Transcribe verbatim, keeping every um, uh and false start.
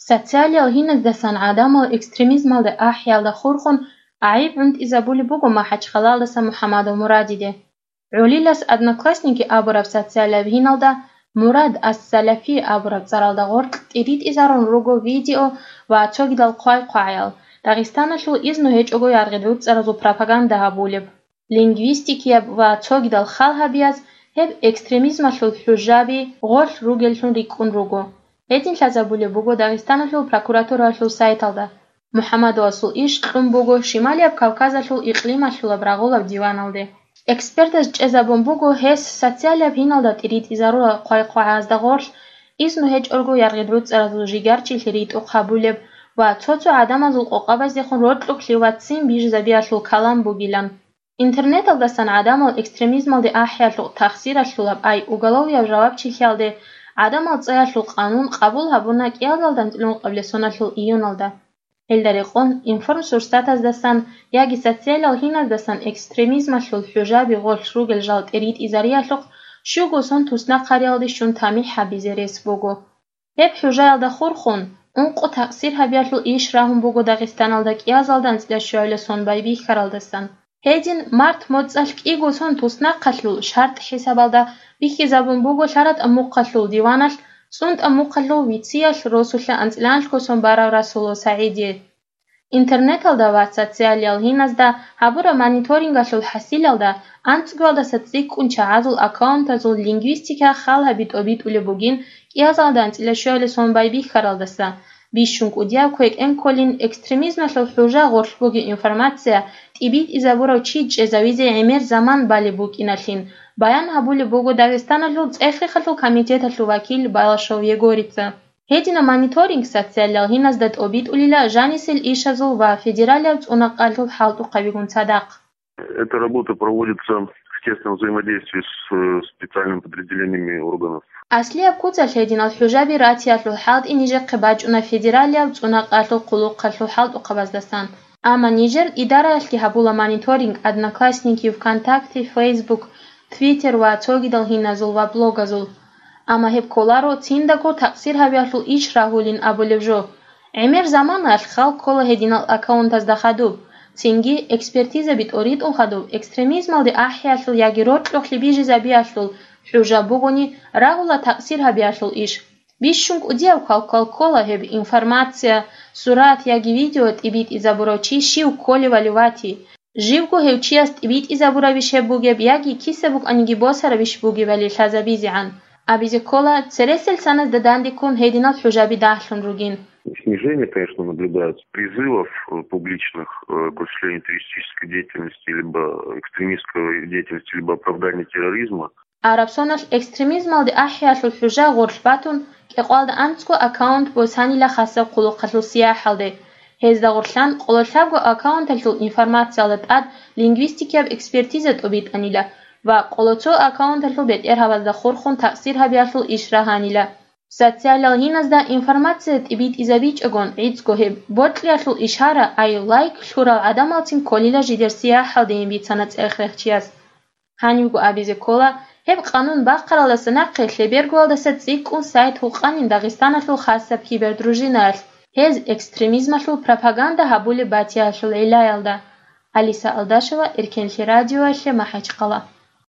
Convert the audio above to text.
Социалиял гьиназдасан гӀадамал экстремизмалде ахӀиялда хурхун гӀайиб гӀунтӀизабулеб буго МахӀачхъалаялдаса МухӀаммадов Мурадиде. ГӀолилас «Одноклассники» абураб социалияб гьиналда Мурад ас-Салафи абураб цӀаралда гъоркь тӀиритӀизарун руго видео ва цогидал хъвай-хъвагӀаял, Дагъистаналъул изну гьечӀого яргъи-ручӀаразул пропаганда гьабулеб. Лингвистикияб ва цогидал хал гьабияз гьеб экстремизмалъул хӀужаби гъорлъ ругеллъун рикӀкӀун руго. Гьедин лъазабулеб буго Дагъистаналъул прокуратураялъул сайталда. МухӀаммадовасул иш кьун буго Шималияб Кавказалъул икълималъулаб рагъулаб диваналде. Экспертаз чӀезабун буго гьес социалияб гьиналда тӀиритӀизарурал хъвай-хъвагӀазда гъорлъ изну гьечӀого яргъи-ручӀаразул жигарчилъи ритӀухъ гьабулеб ва цо-цо гӀадамазул къокъабаздехун рокьулъ ваццин бижизабиялъул калам бугилан. Интернеталдасан гӀадамал экстремизмалде ахӀиялъухъ тахсиралъулаб ай уголовияб жавабчилъиялде гӀадамал цӀаялъул къанун къабул гьабуна кӀиялдалда анцӀила ункъабилеб соналъул июналда. Гьелда рекъон информсурсатаздасан яги социалиял гьиназдасан экстремизмалъул хӀужаби гъорлъ ругел жал тӀиритӀизариялъухъ щуго сон туснахъариялде щун тамихӀ гьабизе рес буго. Гьеб хӀужаялда хурхун, ункъо такъсир гьабиялъул иш рагьун буго Дагъистаналда кӀиязалда анцӀила щуялъа сон байбихьаралдасан. Гьедин март моцӀалъ кӀиго сон туснахъалъул шартӀ хӀисабалда бихьизабун буго лъаратӀа мухъалъул диваналъ, цӀунтӀа мухъалъул вициялъ росулъа анцӀила анлъго сон барав Расулов СагӀидие. Интернеталда ва социалиял гьиназда гьабураб мониторингалъул хӀасилалда анцӀгоялдаса цӀикӀкӀун чагӀазул аккаунтазул лингвистика хал гьаби тӀобитӀулеб бугин кӀиязалда анцӀила щуялъа сон байбихьаралдаса, бищун кӀудияб квекӀен кколин экстремизмалъул хӀужа гъорлъ бугеб информация тӀибитӀизабурав чи чӀезавизе гӀемер заман балеб букӀиналъин баян гьабулеб буго Дагъистаналъул цӀехихъалъул комитеталъул вакил Балашов Егорица. Гьединаб мониторинг социалиял гьиназда тӀобитӀулила жанисел ишазул ва федералияб цӀунакъалъул хӀалтӀухъабигун цадахъ. Эта работа проводится в тесном взаимодействии с, э, специальными подразделениями органов. Аслияб куцалъ гьединал хӀужаби ратиялъул хӀалтӀи нижехъе бачӀуна федералияб цӀунакъалъул хъулухъалъул хӀалтӀухъабаздасан. Амма нижер идараялъги гьабула мониторинг Одноклассники, ВКонтакте, Facebook, Twitter ва цогидал гьиназул ва блогазул. Амма гьеб кколаро циндаго такъсир гьабиялъул иш рагьулин абулеб жо. ГӀемер заманаялъ хал ккола гьединал аккаунтазда хадуб, цинги экспертизаби тӀоритӀун хадуб экстремизмалде ахӀиялъул яги рокьулъ бижизабиялъул хӀужа бугони рагьула такъсир гьабиялъул иш. Бищун кӀудияб квалквал ккола гьеб информация, сурат яги видео тӀибитӀизабурав чи щив кколевали вати, живго гьев чияс тӀибитӀизабурабищ гьеб бугеб яги киса букӀаниги босарабищ бугебали лъазабизегӀан. Абизе ккола, цересел саназда дандеккун гьединал хӀужаби дагьлъун ругин. Снижение, конечно, наблюдается призывов, э, публичных, э, к осуществлению террористической деятельности, либо экстремистской деятельности, либо оправдания терроризма. Араб соналъ экстремизмалде ахӀиялъул хӀужа гъорлъ батун, кӀикъоялда анцӀго аккаунт босанила хасаб хъулухъалъул сияхӀалде. Гьезда гъорлъан къоло лъабго аккаунталъул информациялда тӀад лингвистикияб экспертиза тӀобитӀанила ва къоло цо аккаунталъул бетӀергьабазда хурхун такъсир гьабиялъул иш рагьанила. Социалиял гьиназда информация тӀибитӀизабичӀогон гӀицӀго гьеб бокьиялъул ишара, ай лайк лъурал гӀадамалцин кколила жидер сияхӀалдейин бицана цӀех-рехчияс. Гьанивго абизе ккола, гьеб къанун бахъаралдаса нахъе лъебергоялдаса цӀикӀкӀун сайт гьукъанин Дагъистаналъул хасаб кибердружинаялъ, гьез экстремизмалъул пропаганда гьабулеб батиялъул гӀиллаялда. Алиса Алдашева, Эркенлъи радиоялъе, МахӀачхъала.